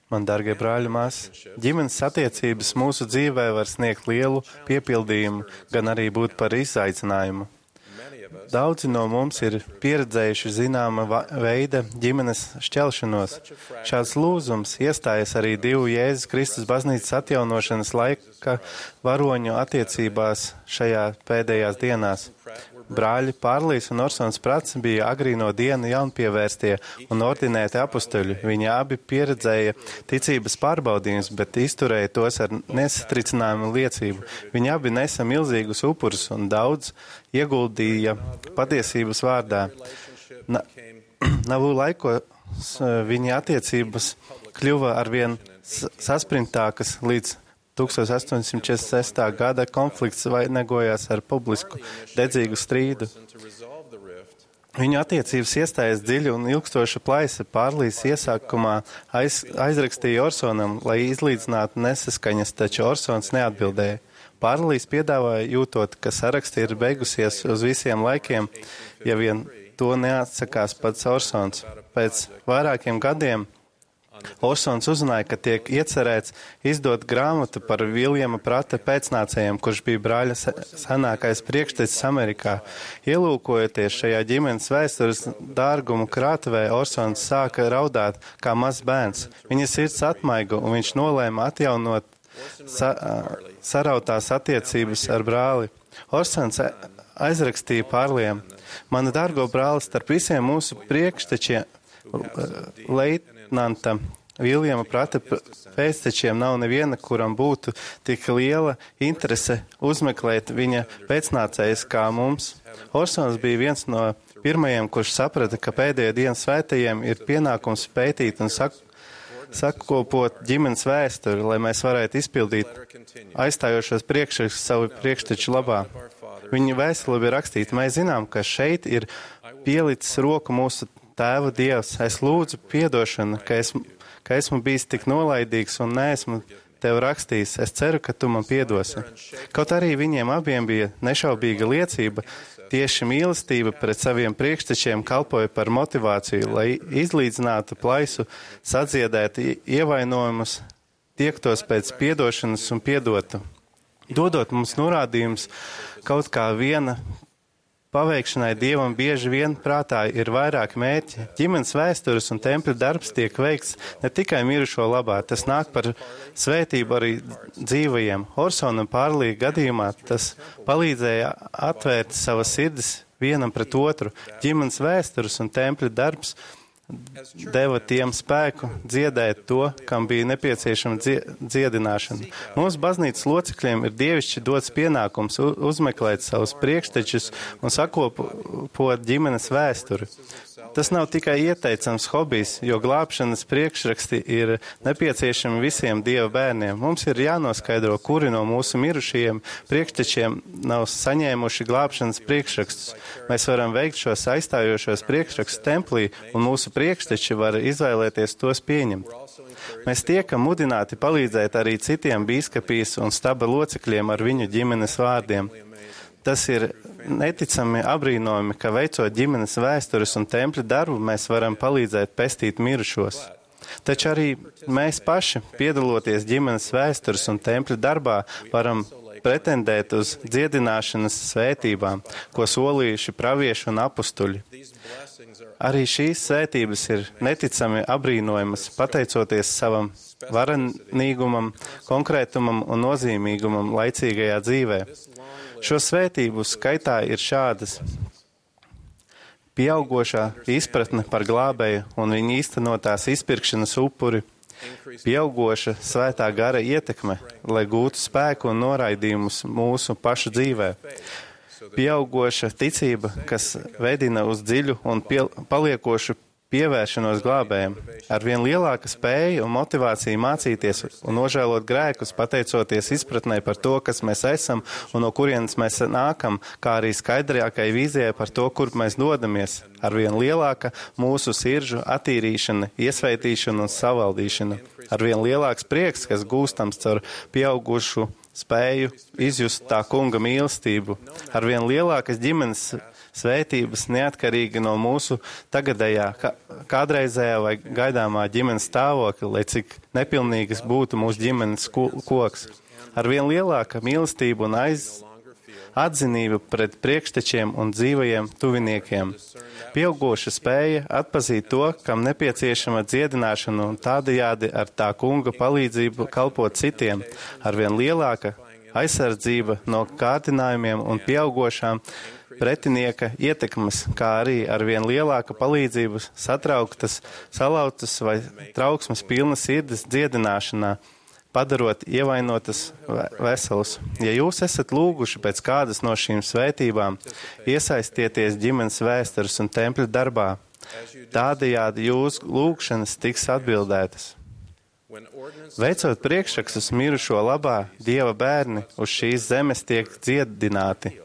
Man, dārgie brāļi, māsas, ģimenes attiecības mūsu dzīvē var sniegt lielu piepildījumu, gan arī būt par izaicinājumu. Daudzi no mums ir pieredzējuši zināma veida ģimenes šķelšanos. Šāds lūzums iestājas arī divu Jēzus Kristus baznīcas atjaunošanas laika varoņu attiecībās šajā pēdējās dienās. Brāļi Pārlīs un Orsons Prats bija agrīno dienu jaunpievērstie un ordinēti apustuļi. Viņi abi pieredzēja ticības pārbaudījumus, bet izturēja tos ar nesatricinājumu liecību. Viņi abi nesa milzīgus upurus un daudz ieguldīja patiesības vārdā. Navu laikos viņa attiecības kļuva arvien saspringtākas līdz 1846. gada konflikts vainagojās ar publisku dedzīgu strīdu. Viņu attiecības iestājas dziļa un ilgstoša plaisa. Pārlīs iesākumā aizrakstīja Orsonam, lai izlīdzinātu nesaskaņas, taču Orsons neatbildēja. Pārlīs piedāvāja, jūtot, ka saraksti ir beigusies uz visiem laikiem, ja vien to neatsakās pats Orsons. Pēc vairākiem gadiem Orsons uzzināja, ka tiek iecerēts izdot grāmatu par Viljama Prata pēcnācējiem, kurš bija brāļa senākais priekštecis Amerikā. Ielūkojoties šajā ģimenes vēstures dārgumu krātuvē, Orsons sāka raudāt kā mazs bērns. Viņa sirds atmaiga, un viņš nolēma atjaunot sarautās attiecības ar brāli. Orsons aizrakstīja Pārliem: Mana dārgo brāli, starp visiem mūsu priekštečiem leitnanta Viljama Prata pēctečiem nav neviena, kuram būtu tik liela interese uzmeklēt viņa pēcnācējus kā mums. Orsons bija viens no pirmajiem, kurš saprata, ka pēdējo dienu svētajiem ir pienākums pētīt un sakopot ģimenes vēsturi, lai mēs varētu izpildīt aizstājošos priekšrakstus savu priekšteču labā. Viņa vēstule bija rakstīta: Mēs zinām, ka šeit ir pielicis roku mūsu Tēva Dievs. Es lūdzu piedošanu, ka esmu bijis tik nolaidīgs un neesmu tev rakstījis. Es ceru, ka tu man piedosi. Kaut arī viņiem abiem bija nešaubīga liecība, tieši mīlestība pret saviem priekštečiem kalpoja par motivāciju, lai izlīdzinātu plaisu, sadziedētu ievainojumus, tiektos pēc piedošanas un piedotu. Dodot mums norādījumus kaut kā viena paveikšanai Dievam bieži vien prātā ir vairāki mērķi. Ģimenes vēstures un tempļa darbs tiek veikts ne tikai mirušo labā, tas nāk par svētību arī dzīvajiem. Orsona un Pārlī gadījumā tas palīdzēja atvērt savas sirdis vienam pret otru. Ģimenes vēstures un tempļa darbs deva tiem spēku dziedēt to, kam bija nepieciešama dziedināšana. Mums baznīcas locekļiem ir dievišķi dots pienākums uzmeklēt savus priekštečus un sakopot ģimenes vēsturi. Tas nav tikai ieteicams hobijs, jo glābšanas priekšraksti ir nepieciešami visiem Dieva bērniem. Mums ir jānoskaidro, kuri no mūsu mirušajiem priekštečiem nav saņēmuši glābšanas priekšrakstus. Mēs varam veikt šos aizstājošos priekšrakstus templī, un mūsu priekšteči var izvēlēties tos pieņemt. Mēs tiekam mudināti palīdzēt arī citiem bīskapijas un staba locekļiem ar viņu ģimenes vārdiem. Tas ir neticami abrīnojami, ka veicot ģimenes vēstures un tempļa darbu, mēs varam palīdzēt pestīt mirušos. Taču arī mēs paši, piedaloties ģimenes vēstures un tempļa darbā, varam pretendēt uz dziedināšanas svētībām, ko solījuši pravieši un apustuļi. Arī šīs svētības ir neticami abrīnojamas, pateicoties savam varenīgumam, konkrētumam un nozīmīgumam laicīgajā dzīvē. Šo svētību skaitā ir šādas: pieaugošā izpratne par glābēju un viņa īstenotās izpirkšanas upuri, pieaugoša svētā gara ietekme, lai gūtu spēku un noraidījumus mūsu pašu dzīvē, pieaugoša ticība, kas vedina uz dziļu un paliekošu pievēršanos glābējiem, ar vien lielāka spēja un motivācija mācīties un nožēlot grēkus, pateicoties izpratnē par to, kas mēs esam un no kurienes mēs nākam, kā arī skaidrākai vīzijai par to, kur mēs dodamies, ar vien lielāka mūsu sirdžu attīrīšana, iesveitīšana un savaldīšana, ar vien lielāks prieks, kas gūstams caur pieaugušu spēju izjust tā kunga mīlestību, ar vien lielākas ģimenes svētības neatkarīgi no mūsu tagadējā, kādreizējā vai gaidāmā ģimenes stāvokļa, lai cik nepilnīgas būtu mūsu ģimenes koks. Ar vien lielāka mīlestība un atzinība pret priekštečiem un dzīvajiem tuviniekiem. Pieaugoša spēja atpazīt to, kam nepieciešama dziedināšana un tādajādi ar tā kunga palīdzību kalpot citiem. Ar vien lielāka aizsardzība no kārdinājumiem un pieaugošām pretinieka ietekmes, kā arī ar vien lielāka palīdzība satrauktas, salauztas vai trauksmes pilnas sirds dziedināšanā, padarot ievainotas veselus. Ja jūs esat lūguši pēc kādas no šīm svētībām, iesaistieties ģimenes vēstures un tempļa darbā. Tādējādi jūsu lūgšanas tiks atbildētas. Veicot priekšrakstus mirušo labā, Dieva bērni uz šīs zemes tiek dziedināti.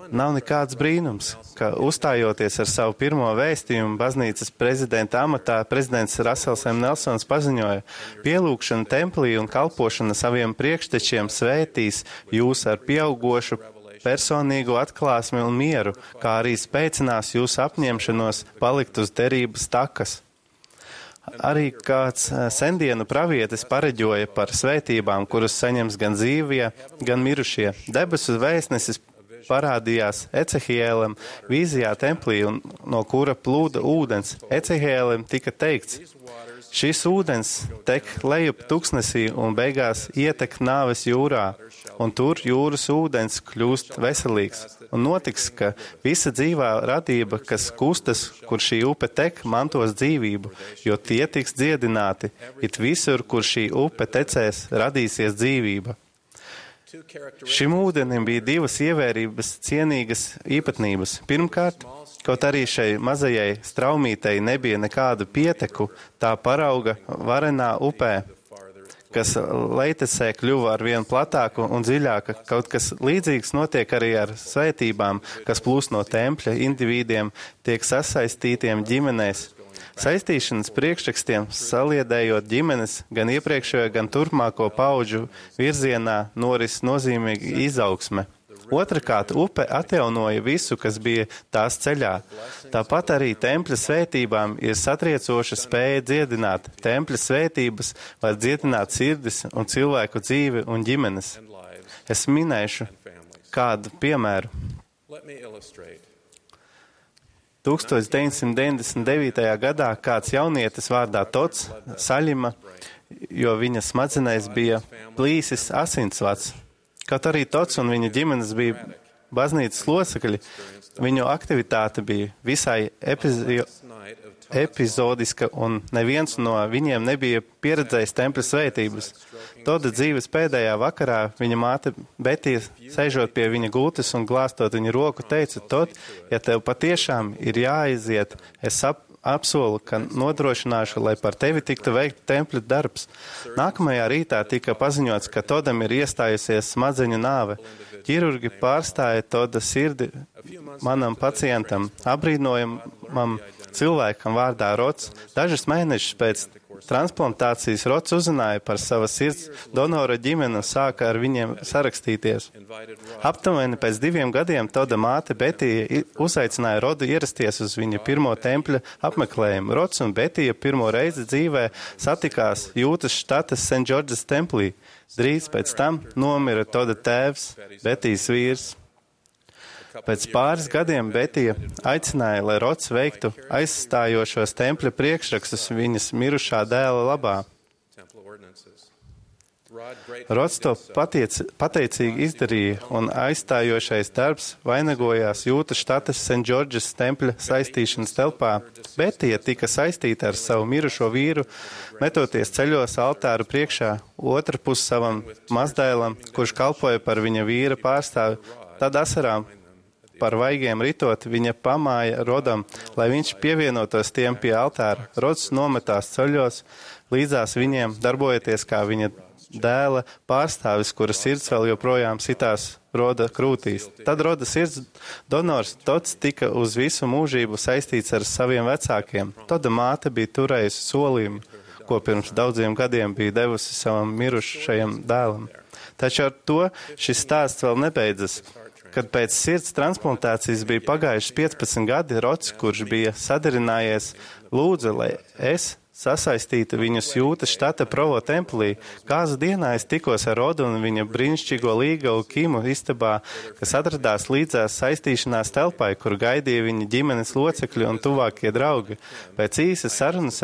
Nav nekāds brīnums, ka uzstājoties ar savu pirmo vēstījumu baznīcas prezidenta amatā, prezidents Rasels M. Nelsons paziņoja: pielūgšana templī un kalpošana saviem priekštečiem svētīs jūs ar pieaugošu personīgu atklāsmi un mieru, kā arī spēcinās jūsu apņemšanos palikt uz derības takas. Arī kāds sendienu pravietis pareģoja par svētībām, kuras saņems gan dzīvie, gan mirušie. Debesu vēstnesis parādījās Ecehielam vīzijā templī, no kura plūda ūdens. Ecehielam tika teikts: šis ūdens tek lejup tuksnesī un beigās ietek nāves jūrā, un tur jūras ūdens kļūst veselīgs. Un notiks, ka visa dzīvā radība, kas kustas, kur šī upe tek, mantos dzīvību, jo tie tiks dziedināti. It visur, kur šī upe tecēs, radīsies dzīvība. Šim ūdenim bija divas ievērības cienīgas īpatnības. Pirmkārt, kaut arī šai mazajai straumītei nebija nekādu pieteku, tā parauga varenā upē, kas leitecē kļuva ar vien platāku un dziļāku. Kaut kas līdzīgs notiek arī ar svētībām, kas plūst no tempļa individiem, tiek sasaistītiem ģimenēs. Saistīšanas priekšrakstiem saliedējot ģimenes gan iepriekšējo, gan turpmāko paudžu virzienā noris nozīmīga izaugsme. Otrakārt, upe atjaunoja visu, kas bija tās ceļā. Tāpat arī tempļa svētībām ir satriecoša spēja dziedināt. Tempļa svētības var dziedināt sirdis un cilvēku dzīvi un ģimenes. Es minēšu kādu piemēru. 1999. gadā kāds jaunietis vārdā Tots saļima, jo viņa smadzenēs bija plīsis asinsvads. Kaut arī Tots un viņa ģimenes bija baznīcas locekļi, viņu aktivitāte bija visai epizodiska un neviens no viņiem nebija pieredzējis tempļa svētības. Toda dzīves pēdējā vakarā viņa māte Betija, sēžot pie viņa gultas un glāstot viņa roku, teica: Tot, ja tev patiešām ir jāaiziet, es apsolu, ka nodrošināšu, lai par tevi tiktu veikt tempļa darbs. Nākamajā rītā tika paziņots, ka Todam ir iestājusies smadzeņu nāve. Ķirurgi pārstāja Toda sirdi manam pacientam, abrīnojamam cilvēkam vārdā Rots. Dažus mēnešus pēc transplantācijas Rots uzzināja par savas sirds donora ģimeni un sāka ar viņiem sarakstīties. Aptuveni pēc 2 gadiem Toda māte Betija uzaicināja Rodu ierasties uz viņa pirmo tempļa apmeklējumu. Rots un Betija pirmo reizi dzīvē satikās Jūtas štata St. George's templī. Drīz pēc tam nomira Toda tēvs, Betijas vīrs. Pēc pāris gadiem Betija aicināja, lai Rots veiktu aizstājošos tempļa priekšrakstus viņas mirušā dēla labā. Rots to pateicīgi izdarīja, un aizstājošais darbs vainagojās Jūtas štatas St. George's tempļa saistīšanas telpā. Betija tika saistīta ar savu mirušo vīru, metoties ceļos altāru priekšā, otrpus savam mazdēlam, kurš kalpoja par viņa vīra pārstāvi. Tad asarām par vaigiem ritot, viņa pamāja Rodam, lai viņš pievienotos tiem pie altāra. Rods nometās ceļos, līdzās viņiem darbojoties kā viņa dēla pārstāvis, kura sirds vēl joprojām sitās Roda krūtīs. Tad Roda sirds donors Tots tika uz visu mūžību saistīts ar saviem vecākiem. Toda māte bija turējusi solījumu, ko pirms daudziem gadiem bija devusi savam mirušajam dēlam. Taču ar to šis stāsts vēl nebeidzas. kad pēc sirds transplantācijas bija pagājuši 15 gadi, Rods, kurš bija sadarinājies, lūdza, lai es sasaistītu viņus Jūtas štata Provo templī. Kāzu dienā es tikos ar Rodu un viņa brīnišķīgo līgavu Kimu istabā, kas atradās līdzās saistīšanās telpai, kur gaidīja viņa ģimenes locekļi un tuvākie draugi. Pēc īsas sarunas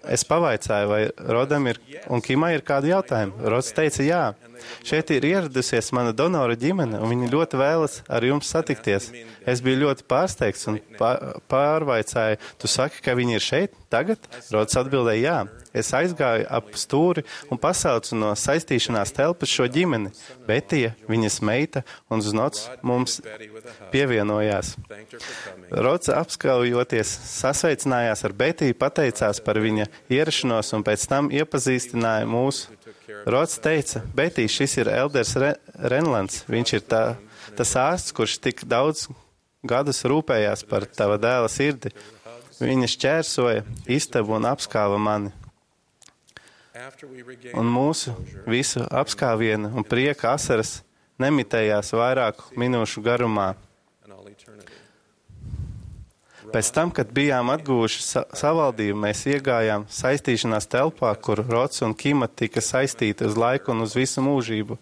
es pavaicāju, vai Rodam un Kimai ir kādi jautājumi. Rods teica, jā. Šeit ir ieradusies mana donora ģimene, un viņi ļoti vēlas ar jums satikties. Es biju ļoti pārsteigts un pārvaicāju, tu saki, ka viņi ir šeit tagad? Rods atbildēja, jā. Es aizgāju ap stūri un pasaucu no saistīšanās telpas šo ģimeni. Betija, viņas meita un Znots mums pievienojās. Rods apskaujoties sasveicinājās ar Betiju, pateicās par viņa ierašanos un pēc tam iepazīstināja mūs. Rods teica, Betija, šis ir Elders Renlands. Viņš ir tas ārsts, kurš tik daudz gadus rūpējās par tava dēla sirdi. Viņa šķērsoja istabu un apskāva mani. Un mūsu visu apskāvienu un prieka asaras nemitējās vairāku minūšu garumā. Pēc tam, kad bijām atguvuši savaldību, mēs iegājām saistīšanās telpā, kur Rods un Kima tika saistīti uz laiku un uz visu mūžību.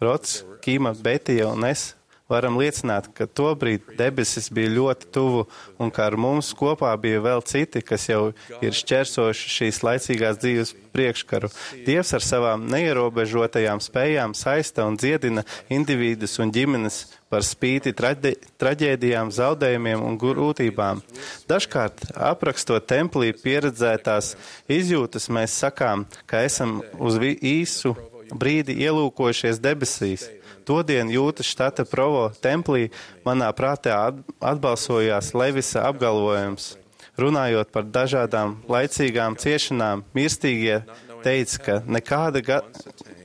Rods, Kima, Betija un es varam liecināt, ka tobrīd debesis bija ļoti tuvu un ka ar mums kopā bija vēl citi, kas jau ir šķērsojuši šīs laicīgās dzīves priekškaru. Dievs ar savām neierobežotajām spējām saista un dziedina individus un ģimenes par spīti traģēdijām, zaudējumiem un grūtībām. Dažkārt, aprakstot templī pieredzētās izjūtas, mēs sakām, ka esam uz īsu brīdi ielūkojušies debesīs. Todien Jūtas štata Provo templī manā prātā atbalsojās Levisa apgalvojums. Runājot par dažādām laicīgām ciešanām, mirstīgie teica, ka nekāda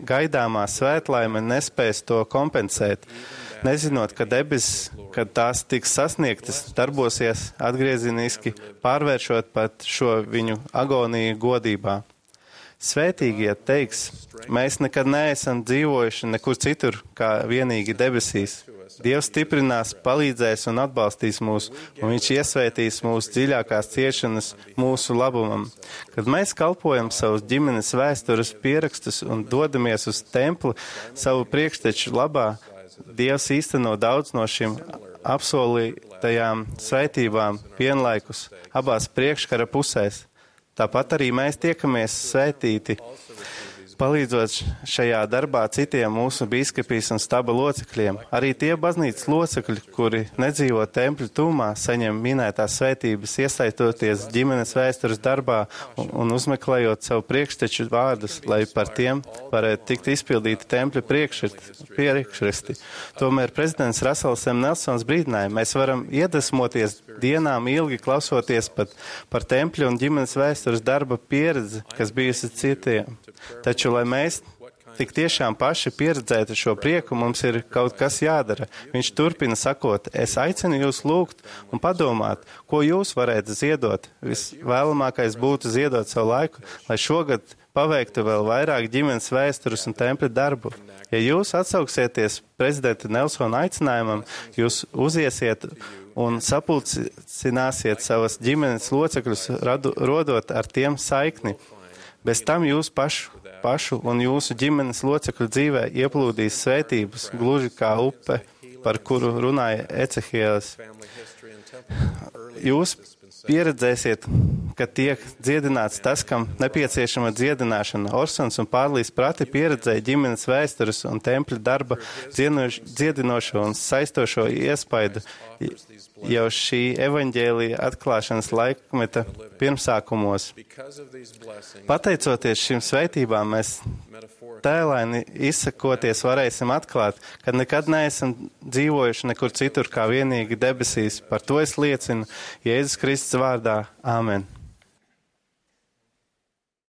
gaidāmā svētlaime nespēs to kompensēt, nezinot, ka debesis, kad tās tiks sasniegtas, darbosies atgrieziniski, pārvēršot pat šo viņu agoniju godībā. Svētīgie teiks, mēs nekad neesam dzīvojuši nekur citur, kā vienīgi debesīs. Dievs stiprinās, palīdzēs un atbalstīs mūs, un viņš iesvētīs mūsu dziļākās ciešanas mūsu labumam. Kad mēs kalpojam savus ģimenes vēstures pierakstus un dodamies uz templi savu priekšteču labā, Dievs īsteno daudz no šīm apsolītajām svētībām vienlaikus abās priekškara pusēs. Tāpat arī mēs tiekamies svētīti, palīdzot šajā darbā citiem mūsu bīskapijas un staba locekļiem. Arī tie baznīcas locekļi, kuri nedzīvo tempļu tūmā, saņem minētās svētības, iesaistot ģimenes vēstures darbā un uzmeklējot savu priekšteču vārdus, lai par tiem varētu tikt izpildīti tempļu priekšresti. Tomēr prezidents Rasels M. Nelsons brīdināja, mēs varam iedvesmoties dienām ilgi klausoties pat par tempļu un ģimenes vēstures darba pieredzi, kas bijusi citiem. Taču, lai mēs tik tiešām paši pieredzētu šo prieku, mums ir kaut kas jādara. Viņš turpina sakot, es aicinu jūs lūgt un padomāt, ko jūs varētu ziedot. Visvēlamākais būtu ziedot savu laiku, lai šogad paveiktu vēl vairāk ģimenes vēstures un tempļa darbu. Ja jūs atsauksieties prezidenta Nelsona aicinājumam, jūs uziesiet un sapulcināsiet savas ģimenes locekļus, rodot ar tiem saikni. Bez tam jūs pašu un jūsu ģimenes locekļu dzīvē ieplūdīs svētības, gluži kā upe, par kuru runāja Ecehielis. Jūs pieredzēsiet, ka tiek dziedināts tas, kam nepieciešama dziedināšana. Orsons un Pārlīs prati pieredzēja ģimenes vēstures un tempļa darba dziedinošo un saistošo iespaidu jau šī evaņģēlija atklāšanas laikmeta pirmsākumos. Pateicoties šīm svētībām, mēs tēlaini izsakoties varēsim atklāt, ka nekad neesam dzīvojuši nekur citur kā vienīgi debesīs. Par to es liecinu Jēzus Kristus vārdā. Āmen.